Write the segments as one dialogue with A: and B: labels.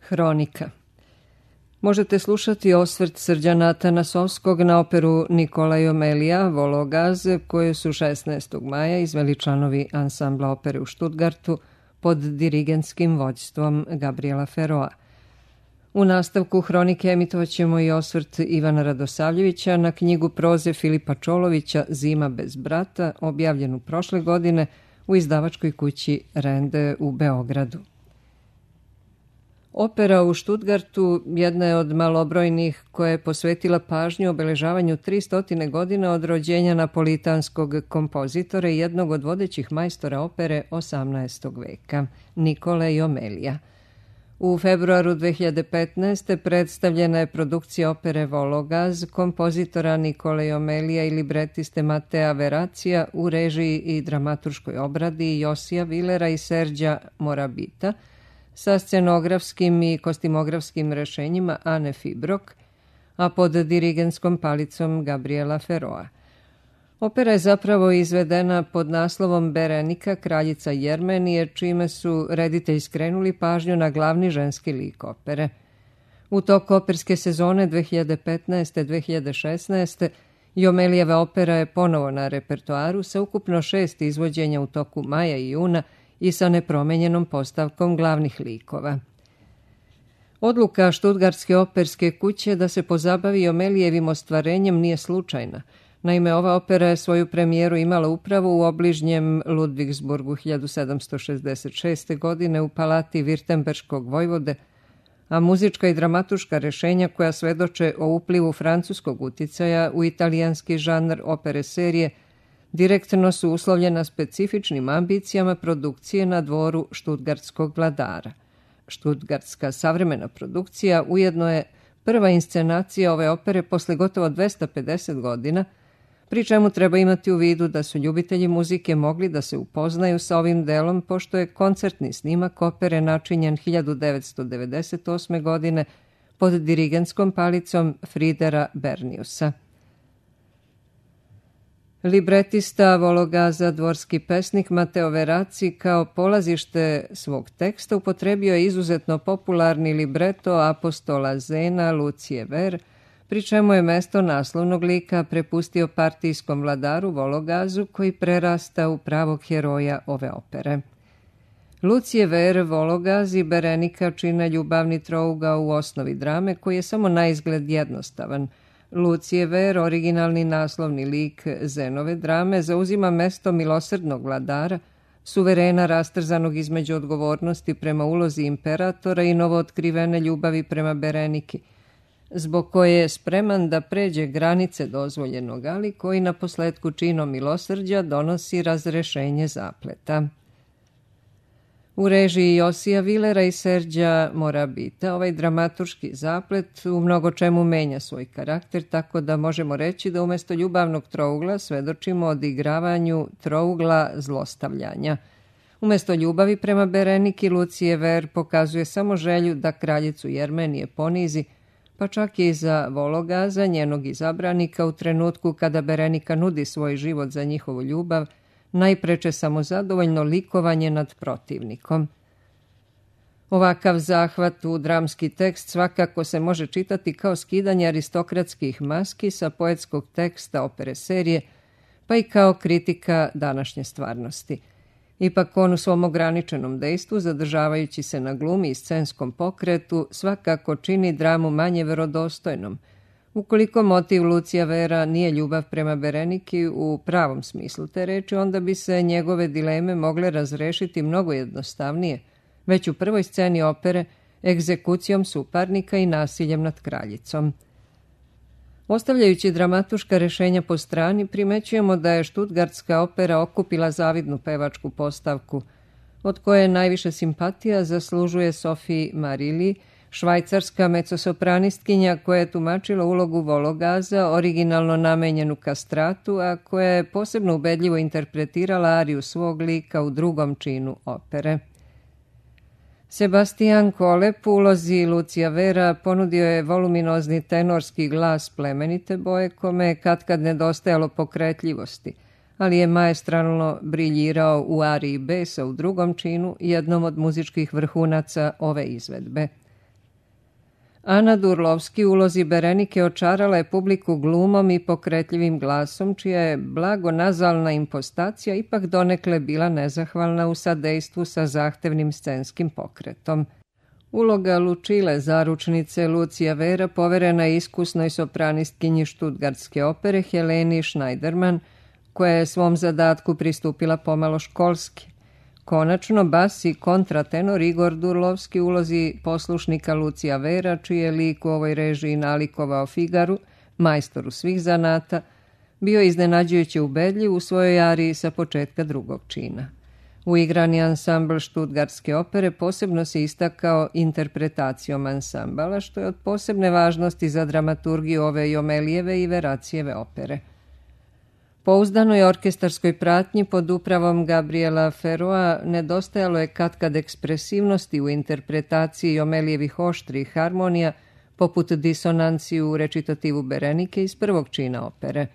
A: Hronika. Možete slušati osvrt Srđana Atanasovskog na operu Nikola i Omelija Vologaz, koju su 16. maja izveli članovi ansambla opere u Štutgartu pod dirigentskim vođstvom Gabriela Ferroa. U nastavku Hronike emitovat ćemo i osvrt Ivana Radosavljevića na knjigu proze Filipa Čolovića Zima bez brata, objavljenu prošle godine u izdavačkoj kući Rende u Beogradu. Opera u Štutgartu jedna je od malobrojnih koja je posvetila pažnju obeležavanju 300 godina od rođenja napolitanskog kompozitora i jednog od vodećih majstora opere 18. veka, Nikole i Omelija. U februaru 2015. predstavljena je produkcija opere Vologaz kompozitora Nikole i Omelija i libretiste Matea Veracija u režiji i dramaturškoj obradi Josija Vilera i Serđa Morabita, sa scenografskim i kostimografskim rešenjima Ane Fibrok, a pod dirigentskom palicom Gabriela Ferroa. Opera je zapravo izvedena pod naslovom Berenika, kraljica Jermenije, čime su reditelji skrenuli pažnju na glavni ženski lik opere. U toku operske sezone 2015-2016. Omelijeva opera je ponovo na repertoaru sa ukupno 6 izvođenja u toku maja i juna i sa nepromenjenom postavkom glavnih likova. Odluka Štutgartske operske kuće da se pozabavi Omelijevim ostvarenjem nije slučajna. Naime, ova opera je svoju premijeru imala upravo u obližnjem Ludvigsburgu 1766. godine u palati Virtemberškog vojvode, a muzička i dramaturška rešenja koja svedoče o uplivu francuskog uticaja u italijanski žanr opere serije direktno su uslovljena specifičnim ambicijama produkcije na dvoru štutgartskog vladara. Štutgartska savremena produkcija ujedno je prva inscenacija ove opere posle gotovo 250 godina, pri čemu treba imati u vidu da su ljubitelji muzike mogli da se upoznaju sa ovim delom, pošto je koncertni snimak opere načinjen 1998. godine pod dirigentskom palicom Fridera Berniusa. Libretista Vologaza, dvorski pesnik Mateo Veraci, kao polazište svog teksta upotrebio je izuzetno popularni libreto apostola Zena Lucije Ver, pri čemu je mesto naslovnog lika prepustio partijskom vladaru Vologazu, koji prerasta u pravog heroja ove opere. Lucije Ver, Vologaz i Berenika čine ljubavni trougao u osnovi drame, koji je samo naizgled jednostavan. Lucije Ver, originalni naslovni lik Zenove drame, zauzima mesto milosrdnog vladara, suverena rastrzanog između odgovornosti prema ulozi imperatora i novootkrivene ljubavi prema Bereniki, zbog koje je spreman da pređe granice dozvoljenog, ali koji na posledku činom milosrđa donosi razrešenje zapleta. U režiji Josija Vilera i Serđa Morabita ovaj dramaturški zaplet u mnogo čemu menja svoj karakter, tako da možemo reći da umesto ljubavnog trougla svedočimo odigravanju trougla zlostavljanja. Umesto ljubavi prema Bereniki, Lucije Ver pokazuje samo želju da kraljicu Jermenije ponizi, pa čak i za Vologaza, njenog izabranika, u trenutku kada Berenika nudi svoj život za njihovu ljubav, najpreče samozadovoljno likovanje nad protivnikom. Ovakav zahvat u dramski tekst svakako se može čitati kao skidanje aristokratskih maski sa poetskog teksta opere serije, pa i kao kritika današnje stvarnosti. Ipak on u svom ograničenom dejstvu, zadržavajući se na glumi i scenskom pokretu, svakako čini dramu manje verodostojnom. Ukoliko motiv Lucija Vera nije ljubav prema Bereniki u pravom smislu te reči, onda bi se njegove dileme mogle razrešiti mnogo jednostavnije, već u prvoj sceni opere, egzekucijom suparnika i nasiljem nad kraljicom. Ostavljajući dramaturška rešenja po strani, primećujemo da je štutgartska opera okupila zavidnu pevačku postavku, od koje najviše simpatija zaslužuje Sophie Marili, švajcarska mecosopranistkinja koja je tumačila ulogu Vologaza, originalno namenjenu kastratu, a koja je posebno ubedljivo interpretirala ariju svog lika u drugom činu opere. Sebastian Kolep u ulozi Lucija Vera ponudio je voluminozni tenorski glas plemenite boje, kome je katkad nedostajalo pokretljivosti, ali je maestralno briljirao u ariji besa u drugom činu, jednom od muzičkih vrhunaca ove izvedbe. Ana Durlovski u ulozi Berenike očarala je publiku glumom i pokretljivim glasom, čija je blago nazalna impostacija ipak donekle bila nezahvalna u sadejstvu sa zahtevnim scenskim pokretom. Uloga Lučile, zaručnice Lucija Vera, poverena je iskusnoj sopranistkinji Štutgartske opere Heleni Schneiderman, koja je svom zadatku pristupila pomalo školski. Konačno, bas i kontratenor Igor Durlovski u ulozi poslušnika Lucija Vera, čiji je lik u ovoj režiji nalikovao Figaru, majstoru svih zanata, bio iznenađujuće ubedljiv u svojoj ariji sa početka drugog čina. Uigrani ansambl Štutgartske opere posebno se istakao interpretacijom ansambala, što je od posebne važnosti za dramaturgiju ove Jomelijeve i Veracijeve opere. Pouzdanoj orkestarskoj pratnji pod upravom Gabriela Ferroa nedostajalo je katkad ekspresivnosti u interpretaciji Jomelijevih oštrih harmonija, poput disonanci u recitativu Berenike iz prvog čina opere.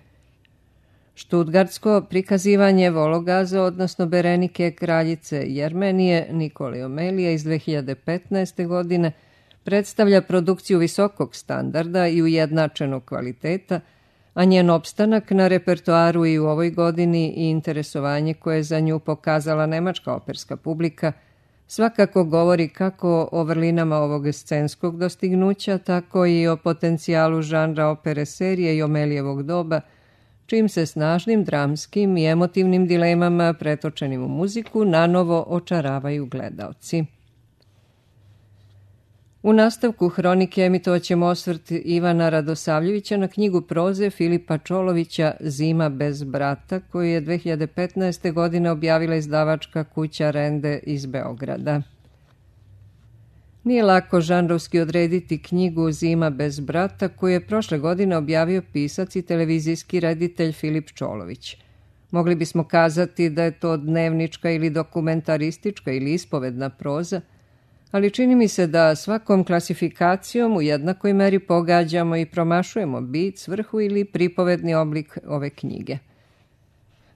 A: Štutgartsko prikazivanje Vologaza, odnosno Berenike kraljice Jermenije Nikole Jomelije iz 2015. godine, predstavlja produkciju visokog standarda i ujednačenog kvaliteta, a njen opstanak na repertoaru i u ovoj godini i interesovanje koje je za nju pokazala nemačka operska publika svakako govori kako o vrlinama ovog scenskog dostignuća, tako i o potencijalu žanra opere serije Jomelijevog doba, čim se snažnim dramskim i emotivnim dilemama pretočenim u muziku nanovo očaravaju gledaoci. U nastavku hronike emitovaćemo osvrt Ivana Radosavljevića na knjigu proze Filipa Čolovića Zima bez brata, koju je 2015. godine objavila izdavačka kuća Rende iz Beograda. Nije lako žanrovski odrediti knjigu Zima bez brata, koju je prošle godine objavio pisac i televizijski reditelj Filip Čolović. Mogli bismo kazati da je to dnevnička ili dokumentaristička ili ispovedna proza, ali čini mi se da svakom klasifikacijom u jednakoj meri pogađamo i promašujemo bit, svrhu ili pripovedni oblik ove knjige.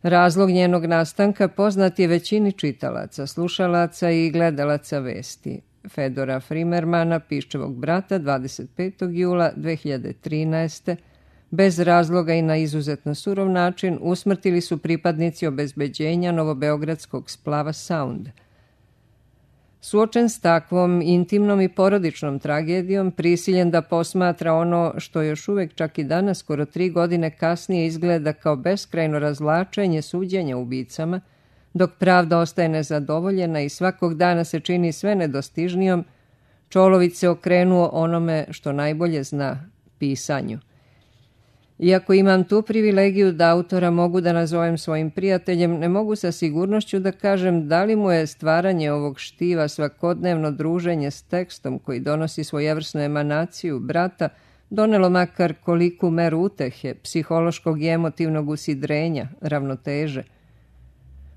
A: Razlog njenog nastanka poznat je većini čitalaca, slušalaca i gledalaca vesti. Fedora Frimermana, Piščevog brata, 25. jula 2013. bez razloga i na izuzetno surov način usmrtili su pripadnici obezbeđenja novobeogradskog splava Sound. Suočen s takvom intimnom i porodičnom tragedijom, prisiljen da posmatra ono što još uvek čak i danas, skoro 3 godine kasnije, izgleda kao beskrajno razvlačenje suđenja ubicama, dok pravda ostaje nezadovoljena i svakog dana se čini sve nedostižnijom, Čolović se okrenuo onome što najbolje zna, pisanju. Iako imam tu privilegiju da autora mogu da nazovem svojim prijateljem, ne mogu sa sigurnošću da kažem da li mu je stvaranje ovog štiva, svakodnevno druženje s tekstom koji donosi svojevrsnu emanaciju brata, donelo makar koliku meru utehe, psihološkog i emotivnog usidrenja, ravnoteže.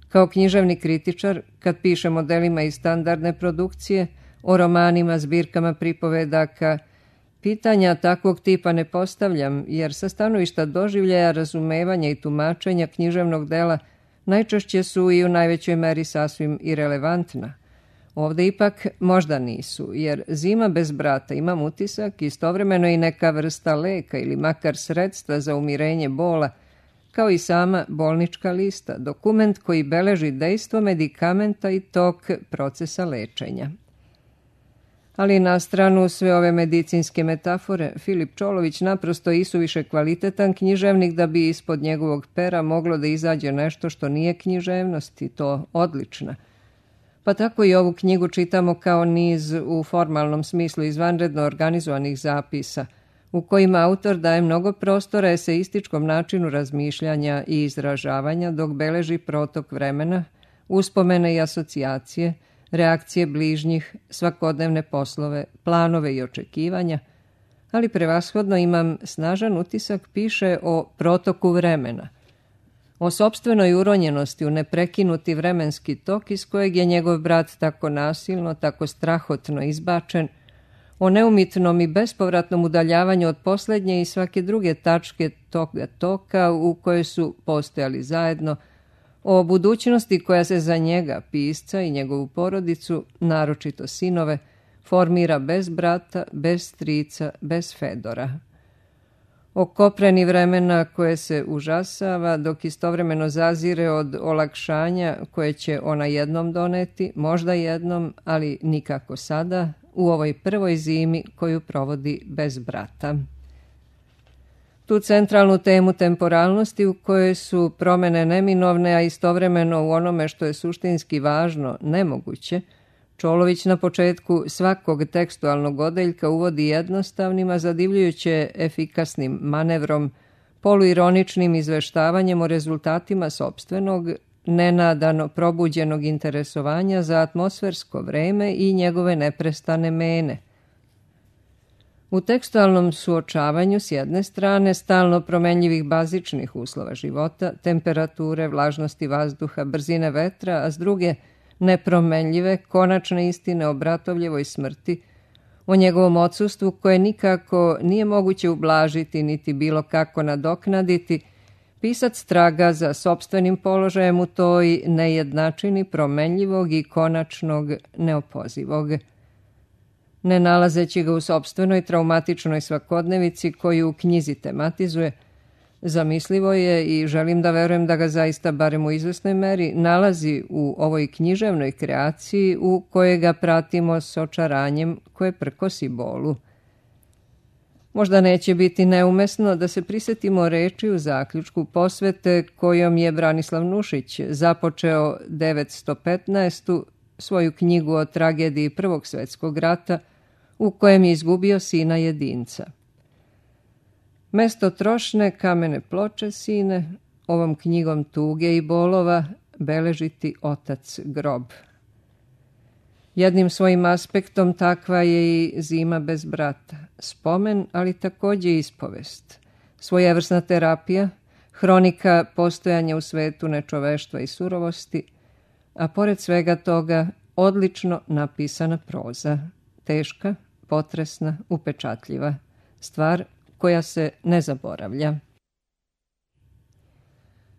A: Kao književni kritičar, kad pišem o delima iz standardne produkcije, o romanima, zbirkama pripovedaka, pitanja takvog tipa ne postavljam, jer sa stanovišta doživljaja, razumevanja i tumačenja književnog dela najčešće su i u najvećoj meri sasvim irelevantna. Ovde ipak možda nisu, jer Zima bez brata, imam utisak, istovremeno i neka vrsta leka ili makar sredstva za umirenje bola, kao i sama bolnička lista, dokument koji beleži dejstvo medikamenta i tok procesa lečenja. Ali na stranu sve ove medicinske metafore, Filip Čolović naprosto isuviše kvalitetan književnik da bi ispod njegovog pera moglo da izađe nešto što nije književnost i to odlična. Pa tako i ovu knjigu čitamo kao niz u formalnom smislu izvanredno organizovanih zapisa, u kojima autor daje mnogo prostora eseističkom načinu razmišljanja i izražavanja dok beleži protok vremena, uspomene i asocijacije, reakcije bližnjih, svakodnevne poslove, planove i očekivanja, ali prevashodno imam snažan utisak piše o protoku vremena, o sopstvenoj uronjenosti u neprekinuti vremenski tok iz kojeg je njegov brat tako nasilno, tako strahotno izbačen, o neumitnom i bespovratnom udaljavanju od poslednje i svake druge tačke toga toka u kojoj su postojali zajedno, o budućnosti koja se za njega, pisca i njegovu porodicu, naročito sinove, formira bez brata, bez strica, bez Fedora. O kopreni vremena koje se užasava, dok istovremeno zazire od olakšanja koje će ona jednom doneti, možda jednom, ali nikako sada, u ovoj prvoj zimi koju provodi bez brata. Tu centralnu temu temporalnosti u kojoj su promene neminovne, a istovremeno u onome što je suštinski važno, nemoguće, Čolović na početku svakog tekstualnog odeljka uvodi jednostavnim, a zadivljujuće efikasnim manevrom, poluironičnim izveštavanjem o rezultatima sopstvenog, nenadano probuđenog interesovanja za atmosfersko vreme i njegove neprestane mene. U tekstualnom suočavanju s jedne strane stalno promenljivih bazičnih uslova života, temperature, vlažnosti vazduha, brzine vetra, a s druge nepromenljive, konačne istine o Bratovljevoj smrti, o njegovom odsustvu koje nikako nije moguće ublažiti niti bilo kako nadoknaditi, pisac traga za sopstvenim položajem u toj nejednačini promenljivog i konačnog neopozivog. Ne nalazeći ga u sopstvenoj traumatičnoj svakodnevici koju u knjizi tematizuje, zamislivo je i želim da verujem da ga zaista, barem u izvesnoj meri, nalazi u ovoj književnoj kreaciji u kojoj ga pratimo s očaranjem koje prkosi bolu. Možda neće biti neumesno da se prisetimo reči u zaključku posvete kojom je Branislav Nušić započeo 915. svoju knjigu o tragediji Prvog svjetskog rata u kojem je izgubio sina jedinca. Mesto trošne kamene ploče, sine, ovom knjigom tuge i bolova beležiti otac grob. Jednim svojim aspektom takva je i zima bez brata. Spomen, ali također ispovest. Svojevrsna terapija, hronika postojanja u svetu nečoveštva i surovosti, a pored svega toga odlično napisana proza. Teška, potresna, upečatljiva. Stvar koja se ne zaboravlja.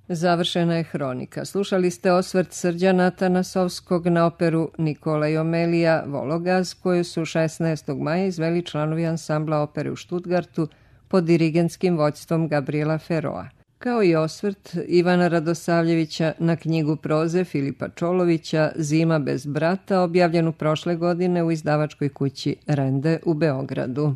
A: Završena je hronika. Slušali ste osvrt Srđana Tanasovskog na operu Nikola i Omelija Vologaz, koju su 16. maja izveli članovi ansambla opere u Štutgartu pod dirigentskim vođstvom Gabriela Ferroa, kao i osvrt Ivana Radosavljevića na knjigu proze Filipa Čolovića Zima bez brata, objavljenu prošle godine u izdavačkoj kući Rende u Beogradu.